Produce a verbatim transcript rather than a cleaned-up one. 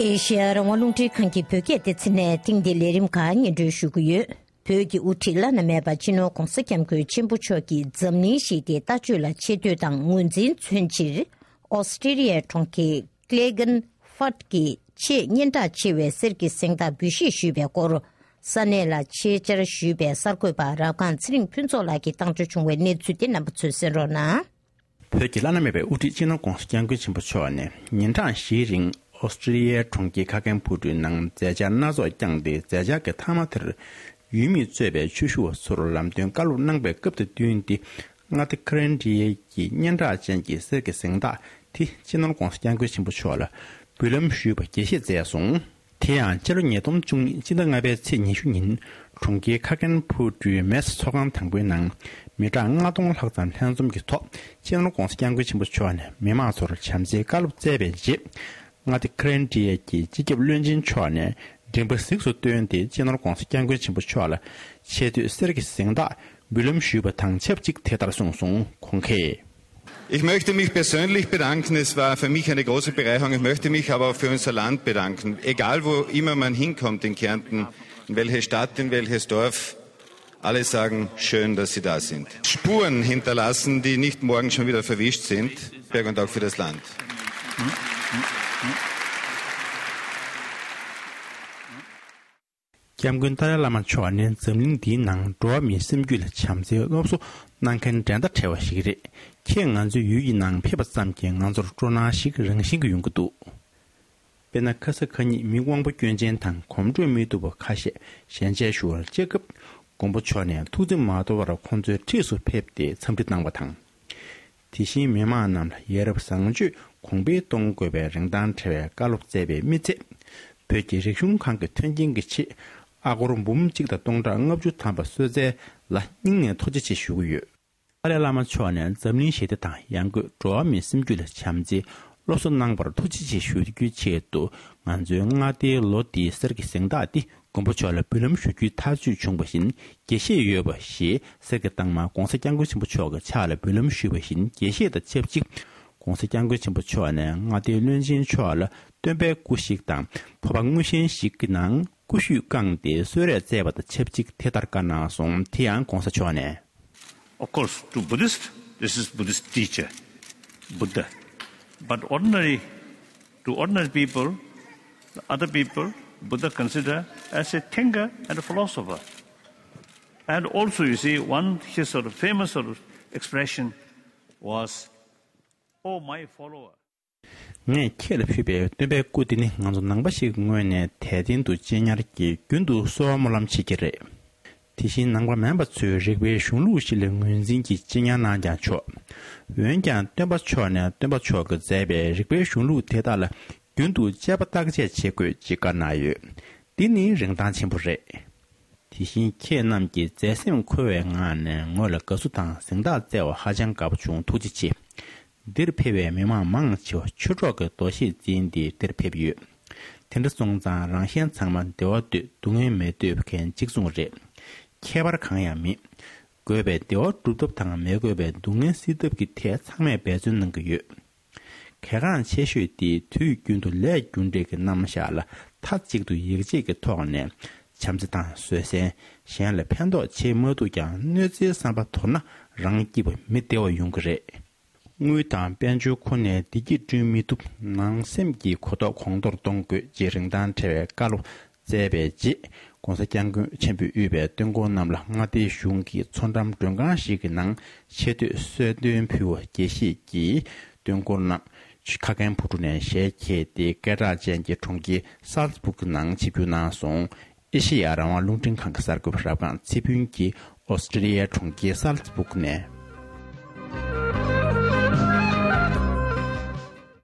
ཨེ་ཤེ་ཡ་རང་དབང་རླུང་འཕྲིན་ཁང་གི་བོད་སྐད་སྡེ་ཚན་ནས་ཐེངས་འདིའི་ལས་རིམ་ཁག་སྙན་སྒྲོན་ཞུ་གི་ཡོད། བོད་ཀྱི་དབུ་ཁྲིད་བླ་ན་མེད་པ་སྤྱི་ནོར་༧གོང་ས་༧སྐྱབས་མགོན་ཆེན་པོ་མཆོག་གིས་འཛམ་གླིང་ཞི་བདེའི་ལྟ་སྤྱོད་ལ་ཆེ་བསྟོད་དང་ངོས་འཛིན་མཚོན་ཕྱིར། ཨོ་སི་ཀྲི་ལི་ཡའི་གྲོང་ཁྱེར་ཀླེ་གན་ཧྥར་གྱི་ཆེས་སྙན་གྲགས་ཆེ་བའི་གསེར་གྱི་གཟེངས་རྟགས་འབུལ་བཞེས་ཞུས་པའི་སྐོར། ས་གནས་ལ་ཆེད་བཅར་ཞུས་པའི་གསར་འགོད་པ་རབ་སྒང་ཚེ་རིང་ཕུན་ཚོགས་ལགས་ཀྱིས་བཏང་འབྱོར་བྱུང་བའི་གནས་ཚུལ་དེ་རྣམ་པ་ཚོས་གསན་རོགས་གནང་། བོད་ཀྱི་བླ་ན་མེད་པའི་དབུ་ཁྲིད་སྤྱི་ནོར་༧གོང་ས་༧སྐྱབས་མགོན་ཆེན་པོ་མཆོག་ནས་ཉིན་གྲངས་བཞིའི་རིང་ཨོ་སི་ཀྲི་ལི་ཡའི་གྲོང་ཁྱེར་ཁ་ཁན་ཕུ་ཏྲུའི་ནང་མཛད་འཆར་སྣ་ཚོགས་བསྐྱངས་ཏེ། མཛད་འཆར་གྱི་མཐའ་མ་དེར་ཡུལ་མིས་གཙོས་པའི་ཆོས་ཞུ་བ་ཚོར་ལམ་སྟོན་བཀའ་སློབ་གནང་བའི་སྐབས་དང་བསྟུན་ཏེ། མངའ་སྡེ་ཁ་རན་ཌི་ཡའི་གི་སྙན་གྲགས་ཅན་གྱི་གསེར་གྱི་གཟེངས་རྟགས་དེ་སྤྱི་ནོར་༧གོང་ས་༧སྐྱབས་མགོན་ཆེན་པོ་མཆོག་ལ་འབུལ་ལམ་ཞུས་པ་དགྱེས་བཞེས་མཛད་སོང་། དེ་ཡང་སྤྱི་ལོ་ཉིས་སྟོང་བཅུ་གཉིས་སྤྱི་ཟླ་ལྔ་པའི་ཚེས་ཉི་ཤུ་ཉིན་གྲོང་ཁྱེར་ཁ་ཁན་ཕུ་ཏྲུའི་མེ་སི་ཚོགས་ཁང་དང་པོའི་ནང་མི་གྲངས་ལྔ་སྟོང་ལྷག་ཙམ་ལྷན་འཛོམས་ཀྱི་ཐོག་སྤྱི་ནོར་༧གོང་ས་༧སྐྱབས་མགོན་ཆེན་པོ་མཆོག་ནས་མི་མང་ཚོར་བྱམས་བརྩེའི་བཀའ་སློབ་སྩལ་བའི་རྗེས། མངའ་སྡེ་ཁ་རན་ཌི་ཡའི་གི་སྤྱི་ཁྱབ་བློན་ཆེན་མཆོག་ནས་མགྲིན་པ་གཟིགས་སུ་བཏོན་ཏེ། སྤྱི་ནོར་༧གོང་ས་༧སྐྱབས་མགོན་ཆེན་པོ་མཆོག་ལ་ཆེ་བསྟོད་གསེར་གྱི་གཟེངས་རྟགས་འབུལ་ལམ་ཞུས་པ་དང་ཆབས་ཅིག་དེ་ལྟར་གསུངས་སོང་། ཁོང་གིས། Ich möchte mich persönlich bedanken. Es war für mich eine große Bereicherung. Ich möchte mich aber auch für unser Land bedanken. Egal, wo immer man hinkommt in Kärnten, in welche Stadt, in welches Dorf, alle sagen, schön, dass Sie da sind. Spuren hinterlassen, die nicht morgen schon wieder verwischt sind, für Berg und auch für das Land. སྐྱབས་མགོན་ཏཱ་ལའི་བླ་མ་མཆོག་ནི་འཛམ་གླིང་འདིའི་ནང་འགྲོ་བ་མིའི་སེམས་རྒྱུད་ལ་བྱམས་བརྩེའི་སློབ་གསོ་གནང་མཁན་འགྲན་ཟླ་བྲལ་བ་ཞིག་རེད། ཁྱེད་ང་ཚོའི་ཡུལ་གྱི་ནང་ཕེབས་པ་ཙམ་གྱིས་ང་ཚོར་སྤྲོ་སྣང་ཞིག་རང་བཞིན་གྱིས་ཡོང་གི་འདུག་དཔེར་ན། ཁ་ས་ཁ་ཉིད་མི་དབང་པོ་སྐྱོན་ཅན་དང་གོམ་བགྲོད་མི་ཐུབ་པ་ཁ་ཤས་ཞལ་མཇལ་ཞུ་བར་བཅར་སྐབས། མགོན་པོ་མཆོག་ནས་ཐུགས་བརྩེ་མ་དོར་བར་ཁོང་ཚོའི་འཁྲིས་སུ་ཕེབས་ཏེ་འཚམས་འདྲི་གནང་བ་དང་། དེ་བཞིན་མི་མང་རྣམས་ལ་ཡ་རབས་བཟང་སྤྱོད་གོང་འཕེལ་གཏོང་དགོས་པའི་རིན་ཐང་བྲལ་བའི་བཀའ་སློབ་སྩལ་བའི་མི་ཚད། བོད་ཀྱི་རིག་གཞུང་ཁང་གི་མཐུན་རྐྱེན་གྱི་ཆེད་ཨ་སྒོར་འབུམ་གཅིག་དང་སྟོང་ཕྲག་ལྔ་བཅུ་ཐམ་པ་གསོལ་སྩལ་ལ་སྙིང་ནས་ཐུགས་རྗེ་ཆེ་ཞུ་གི་ཡོད། ཏཱ་ལའི་བླ་མ་མཆོག་ནས་འཛམ་གླིང་ཞི་བདེ་དང་ཡང་སྒོས་འགྲོ་བ་མིའི་སེམས་རྒྱུད་ལ་བྱམས་བརྩེའི་སློབ་གསོ་གནང་བར་ཐུགས་རྗེ་ཆེ་ཞུ་རྒྱུའི་ཆེད་དུ། ང་ཚོའི་མངའ་སྡེའི་ལོ་འདིའི་གསེར་གྱི་གཟེངས་རྟགས་འདི་མགོན་པོ་མཆོག་ལ་འབུལ་ལམ་ཞུ་རྒྱུའི་ཐག་གཅོད་བྱུང་བ་བཞིན་དགྱེས་བཞེས་ཡོད་པ་ཞེས། གསེར་གྱི་རྟགས་མ་༧གོང་ས་༧སྐྱབས་མགོན་ཆེན་པོ་མཆོག་གི་ཕྱག་ལ་འབུལ་ལམ་ཞུས་པ་བཞིན་དགྱེས་བཞེས་དང་ཆབས་ཅིག ༧གོང་ས་༧སྐྱབས་མགོན་ཆེན་པོ་མཆོག་ནས་མངའ་སྡེའི་བློན་ཆེན་མཆོག་ལ་སྟོན་པའི་སྐུ་གཤེགས་དང་ཕོར་པ་དངུལ་ཆེན་ཞིག་གི་ནང་སྐུ་ཞུས་བཀང་སྟེ་གསོལ་རས་སྩལ་བ་དང་ཆབས་ཅིག་དེ་ལྟར་བཀའ་གནང་སོང་། དེ་ཡང་༧གོང་ས་མཆོག་ནས། Of course, to Buddhist, this is Buddhist teacher, Buddha. But ordinary, to ordinary people, other people, Buddha consider as a thinker and a philosopher. And also, you see, one his sort of famous sort of expression was, "Oh, my follower." ངས་ཁྱེད་ལ་ཕུལ་བའི་སྟོན་པའི་སྐུ་འདི་ནི་ང་ཚོ་ནང་པ་ཞིག་གི་ངོས་ནས་དད་རྟེན་དུ་གཅེས་ཉར་གྱིས་རྒྱུན་དུ་གསོལ་བ་སྨོན་ལམ་བྱེད་ཀྱི་རེད། དེ་བཞིན་ནང་པ་མིན་པ་ཚོས་རིག་པའི་གཞུང་ལུགས་ཤིག་ལ་ངོས་འཛིན་གྱིས་གཅེས་ཉར་གནང་ཀྱང་ཆོག་འོན་ཀྱང་སྟོན་པ་མཆོག་ནས་སྟོན་པ་མཆོག་གིས་མཛད་པའི་རིག་པའི་གཞུང་ལུགས་དེ་དག་ལ་རྒྱུན་དུ་དཔྱད་པ་བརྟག་དཔྱད་བྱེད་དགོས་ཅེས་བཀའ་གནང་ཡོད། འདི་ནི་རིན་ཐང་ཆེན་པོ་རེད། དེ་བཞིན་ཁྱེད་རྣམས་ཀྱིས་མཛད་སེམས་འཁོལ་བའི་ངང་ནས་ངོས་ལ་དགའ་བསུ་དང་གཟེངས་རྟགས་བསྩལ་བ་ཧ་ཅང་དགའ་པོ་བྱུང་། ཐུགས་རྗེ་ཆེ། འདིར་ཕེབས་པའི་མི་མང་མང་ཆེ་བ་ཆོས་གྲོགས་ཀྱི་འདུ་ཤེས་འཛིན་ཏེ་འདིར་ཕེབས་ཡོད། དེ་འདྲ་སོང་ཙང་རང་གཞན་ཚང་མ་བདེ་བ་འདོད། སྡུག་བསྔལ་མི་འདོད་མཁན་གཅིག་མཚུངས་རེད། ཁྱད་པར་གང་ཡང་མེད། དགོས་པའི་བདེ་བ་སྒྲུབ་ཐབས་དང་མི་དགོས་པའི་སྡུག་བསྔལ་སེལ་ཐབས་ཀྱི་ཐད་ཚང་མས་འབད་བརྩོན་གནང་གི་ཡོད། གལ་འགངས་ཆེ་ཤོས་དེ་དུས་རྒྱུན་དུ་ལས་རྒྱུ་འབྲས་ཀྱི་རྣམ་གཞག་ལ་མཐའ་གཅིག་ཏུ་ཡིད་ཆེས་ཀྱི་ཐོག་ནས་བྱམས་བརྩེ་དང་བཟོད་བསྲན། གཞན་ལ་ཕན་ཐོགས་བྱེད་མ་ཐུབ་ཀྱང་གནོད་འཚེའི་བསམ་པ་དོར་ན་རང་སྐྱིད་པ་མི་བདེ་བ་ཡོང་གི་རེད། དངུལ་དང་དཔལ་འབྱོར་ཁོ་ནས་བདེ་སྐྱིད་བསྐྲུན་མི་ཐུབ། ནང་སེམས་ཀྱི་གོ་རྟོགས་གོང་མཐོར་གཏོང་དགོས་ཅེས་རིན་ཐང་བྲལ་བའི་བཀའ་སློབ་སྩལ་བའི་རྗེས། ྋགོང་ས་ྋསྐྱབས་མགོན་ཆེན་པོས་དབུས་པའི་སྟོན་འཁོར་རྣམས་ལ་མངའ་སྡེའི་གཞུང་གི་མཚོ་འགྲམ་མགྲོན་ཁང་ཞིག་གི་ནང་ཆེ་བསྟོད་གསོལ་སྟོན་ཕུལ་བ་དགྱེས་བཞེས་ཀྱིས། སྟོན་འཁོར་རྣམས་ཁ་ཁན་ཕུ་ཀྲུ་ནས་ཞལ་ཁྱེར་ཏེ། སྐད་གྲགས་ཅན་གྱི་གྲོང་ཁྱེར་སཱལ་ཙི་སྦུག་གི་ནང་ཆིབས་བསྒྱུར་གནང་སོང་། ཨེ་ཤེ་ཡ་རང་དབང་རླུང་འཕྲིན་ཁང་གི་གསར་འགོད་པ་རབ་སྒང་ཚེ་ཕུན་གྱིས་ཨོ་སི་ཀྲི་ལི་ཡའི་གྲོང་ཁྱེར་སཱལ་ཙི་སྦུག་ནས།